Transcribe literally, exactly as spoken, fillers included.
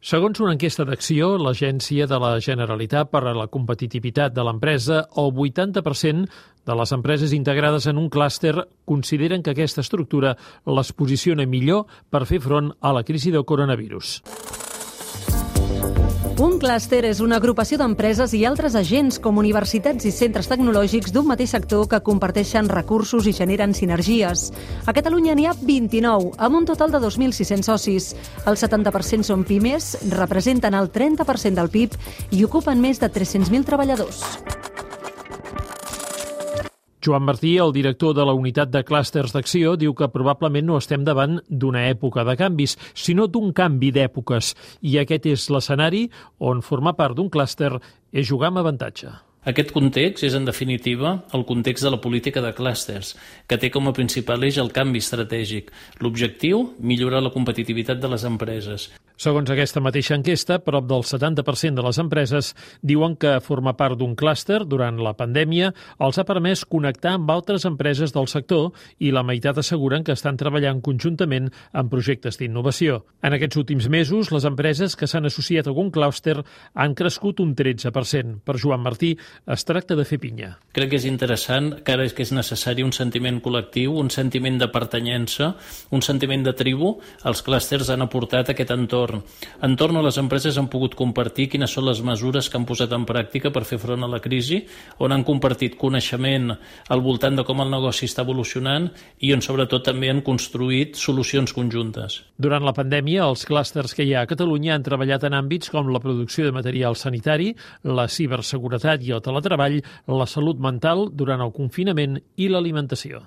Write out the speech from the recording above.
Segons una enquesta d'Acció, l'Agència de la Generalitat per a la Competitivitat de l'Empresa, el vuitanta per cent de les empreses integrades en un clúster consideren que aquesta estructura les posiciona millor per fer front a la crisi del coronavirus. Un clúster és una agrupació d'empreses i altres agents com universitats i centres tecnològics d'un mateix sector que comparteixen recursos i generen sinergies. A Catalunya n'hi ha vint-i-nou, amb un total de dos mil sis-cents socis. El setanta per cent són pimes, representen el trenta per cent del P I B i ocupen més de tres-cents mil treballadors. Joan Martí, el director de la unitat de clústers d'Acció, diu que probablement no estem davant d'una època de canvis, sinó d'un canvi d'èpoques. I aquest és l'escenari on formar part d'un clúster és jugar amb avantatge. Aquest context és, en definitiva, el context de la política de clústers, que té com a principal eix el canvi estratègic. L'objectiu, millorar la competitivitat de les empreses. Segons aquesta mateixa enquesta, prop del setanta per cent de les empreses diuen que formar part d'un clúster durant la pandèmia els ha permès connectar amb altres empreses del sector i la meitat asseguren que estan treballant conjuntament en projectes d'innovació. En aquests últims mesos, les empreses que s'han associat a algun clúster han crescut un tretze per cent. Per Joan Martí, es tracta de fer pinya. Crec que és interessant, que ara és que és necessari un sentiment col·lectiu, un sentiment de pertanyença, un sentiment de tribu. Els clústers han aportat aquest entorn. Entorn a les empreses han pogut compartir quines són les mesures que han posat en pràctica per fer front a la crisi, on han compartit coneixement al voltant de com el negoci està evolucionant i on sobretot també han construït solucions conjuntes. Durant la pandèmia, els clústers que hi ha a Catalunya han treballat en àmbits com la producció de material sanitari, la ciberseguretat i el teletreball, la salut mental durant el confinament i l'alimentació.